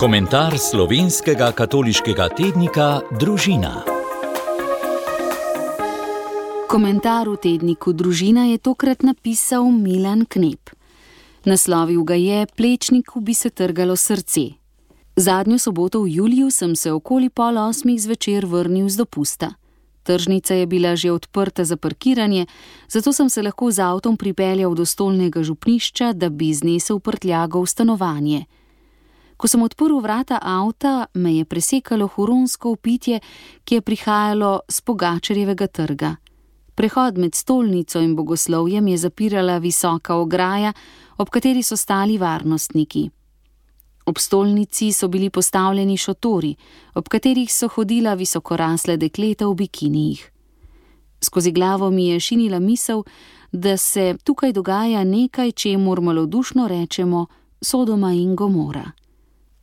Komentar slovenskega katoliškega tednika Družina. Komentar v tedniku Družina je tokrat napisal Milan Knep. Naslovil ga je Plečniku bi se trgalo srce. Zadnjo soboto v juliju sem se okoli 7:30 zvečer vrnil z dopusta. Tržnica je bila že odprta za parkiranje, zato sem se lahko z avtom pripeljal do stolnega župnišča, da bi znesel prtljago v stanovanje. Ko sem odprl vrata avta, me je presekalo huronsko vpitje, ki je prihajalo s Pogačarjevega trga. Prehod med stolnico in bogoslovjem je zapirala visoka ograja, ob kateri so stali varnostniki. Ob stolnici so bili postavljeni šotori, ob katerih so hodila visokorasle dekleta v bikinijih. Skozi glavo mi je šinila misel, da se tukaj dogaja nekaj, čemur malodušno rečemo Sodoma in Gomora.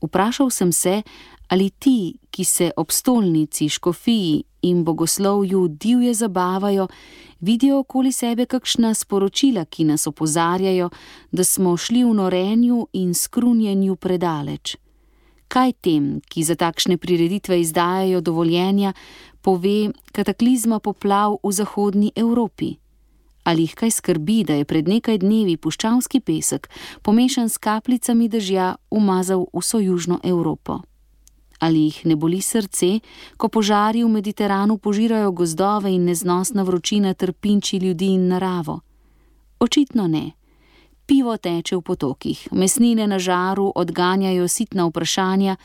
Vprašal sem se, ali ti, ki se ob stolnici, škofiji in bogoslovju divje zabavajo, vidijo okoli sebe kakšna sporočila, ki nas opozarjajo, da smo šli v norenju in skrunjenju predaleč. Kaj tem, ki za takšne prireditve izdajajo dovoljenja, pove kataklizma poplav v zahodni Evropi? Ali jih kaj skrbi, da je pred nekaj dnevi puščavski pesek, pomešan s kapljicami dežja, umazal vso južno Evropo? Ali jih ne boli srce, ko požari v Mediteranu požirajo gozdove in neznosna vročina trpinči ljudi in naravo? Očitno ne. Pivo teče v potokih, mesnine na žaru odganjajo sitna vprašanja,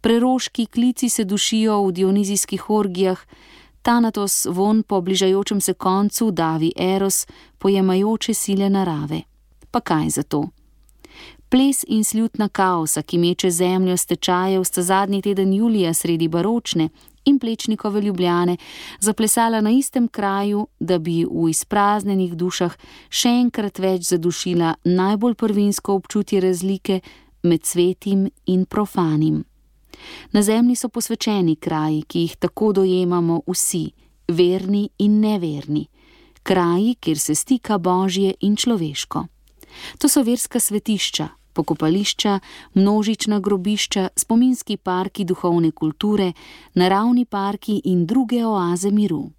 preroški klici se dušijo v dionizijskih orgijah, tanatos von po bližajočem se koncu davi eros, pojemajoče sile narave. Pa kaj za to? Ples in slutna kaosa, ki meče zemljo s tečajev, sta zadnji teden julija sredi baročne in Plečnikove Ljubljane zaplesala na istem kraju, da bi v izpraznenih dušah še enkrat več zadušila najbolj prvinsko občutje razlike med svetim in profanim. Na zemlji so posvečeni kraji, ki jih tako dojemamo vsi, verni in neverni, kraji, kjer se stika božje in človeško. To so verska svetišča, pokopališča, množična grobišča, spominski parki duhovne kulture, naravni parki in druge oaze miru.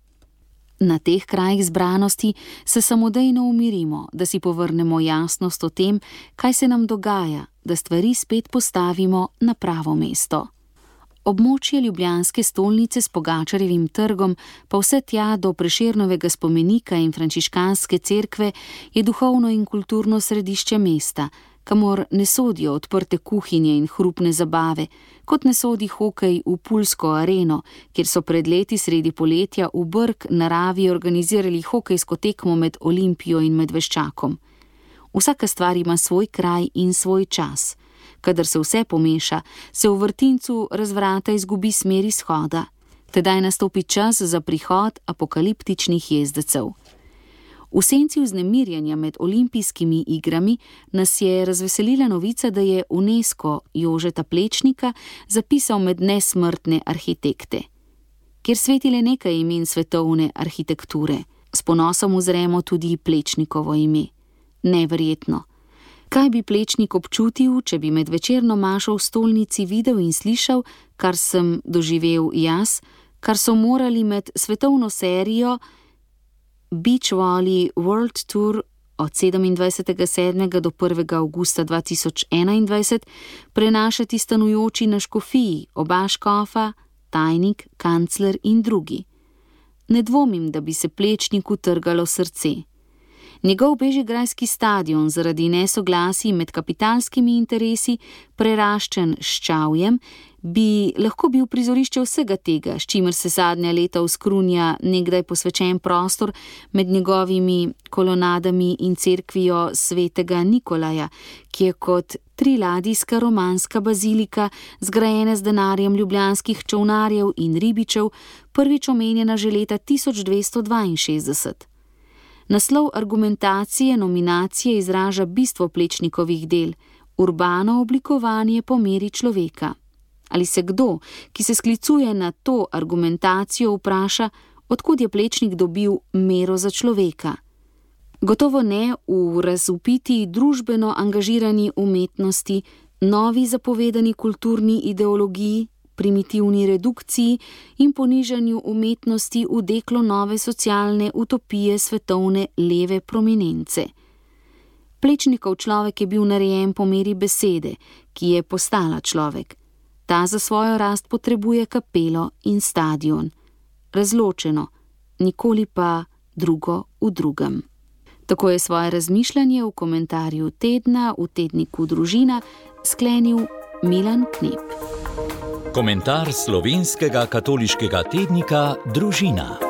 Na teh krajih zbranosti se samodejno umirimo, da si povrnemo jasnost o tem, kaj se nam dogaja, da stvari spet postavimo na pravo mesto. Območje ljubljanske stolnice s Pogačarjevim trgom, pa vse tja do Prešernovega spomenika in frančiškanske cerkve, je duhovno in kulturno središče mesta, kamor ne sodijo odprte kuhinje in hrupne zabave, kot ne sodi hokej v Pulsko areno, kjer so pred leti sredi poletja v Brk naravi organizirali hokejsko tekmo med Olimpijo in Medveščakom. Vsaka stvar ima svoj kraj in svoj čas. Kadar se vse pomeša, se v vrtincu razvrata izgubi smer izhoda. Tedaj nastopi čas za prihod apokaliptičnih jezdecev. V senci vznemirjanja med olimpijskimi igrami nas je razveselila novica, da je UNESCO Jožeta Plečnika zapisal med nesmrtne arhitekte. Kjer sveti le nekaj imen svetovne arhitekture, s ponosom uzremo tudi Plečnikovo ime. Neverjetno. Kaj bi Plečnik občutil, če bi med večerno mašo v stolnici videl in slišal, kar sem doživel jaz, kar so morali med svetovno serijo Beach Volley World Tour od 27.7. do 1. avgusta 2021 prenašati stanujoči na škofiji, oba škofa, tajnik, kancler in drugi. Ne dvomim, da bi se Plečniku trgalo srce. Njegov bežigrajski stadion zaradi nesoglasij med kapitalskimi interesi, preraščen s čavjem, bi lahko bil prizorišče vsega tega, s čimer se zadnja leta uskrunja nekdaj posvečen prostor med njegovimi kolonadami in cerkvijo svetega Nikolaja, ki je kot triladijska romanska bazilika, zgrajena z denarjem ljubljanskih čolnarjev in ribičev, prvič omenjena že leta 1262. Naslov argumentacije nominacije izraža bistvo Plečnikovih del, urbano oblikovanje po meri človeka. Ali se kdo, ki se sklicuje na to argumentacijo, vpraša, odkud je Plečnik dobil mero za človeka? Gotovo ne v razvpiti družbeno angažirani umetnosti, novi zapovedani kulturni ideologiji, primitivni redukciji in ponižanju umetnosti vdeklo nove socialne utopije svetovne leve prominence. Plečnikov človek je bil narejen po meri besede, ki je postala človek. Ta za svojo rast potrebuje kapelo in stadion. Razločeno, nikoli pa drugo v drugem. Tako je svoje razmišljanje v komentarju tedna v tedniku Družina sklenil Milan Knep. Komentar slovenskega katoliškega tednika Družina.